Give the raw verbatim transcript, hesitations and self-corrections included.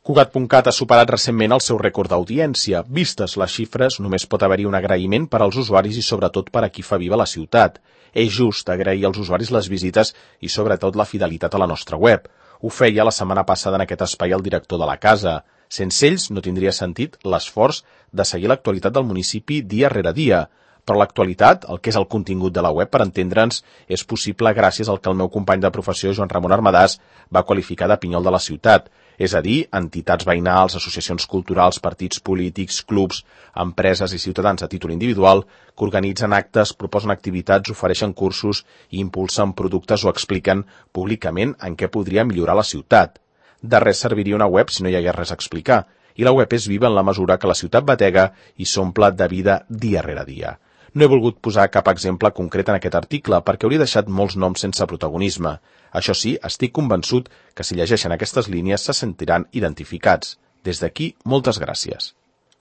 Cugat punt cat ha superat recentment el seu rècord d'audiència. Vistes les xifres, només pot haver-hi un agraïment per als usuaris i sobretot per a qui fa viva la ciutat. És just agrair als usuaris les visites i sobretot la fidelitat a la nostra web. Ho feia la setmana passada en aquest espai el director de la casa. Sense ells no tindria sentit l'esforç de seguir l'actualitat del municipi dia rere dia. Però l'actualitat, el que és el contingut de la web, per entendre'ns, és possible gràcies al que el meu company de professió, Joan Ramon Armadàs, va qualificar de pinyol de la ciutat. És a dir, entitats veïnals, associacions culturals, partits polítics, clubs, empreses i ciutadans a títol individual que organitzen actes, proposen activitats, ofereixen cursos i impulsen productes o expliquen públicament en què podria millorar la ciutat. De res serviria una web si no hi hagués res a explicar. I la web és viva en la mesura que la ciutat batega i s'omple de vida dia rere dia. No he volgut posar cap exemple concret en aquest article perquè hauria deixat molts noms sense protagonisme. Això sí, estic convençut que si llegeixen aquestes línies se sentiran identificats. Des d'aquí, moltes gràcies.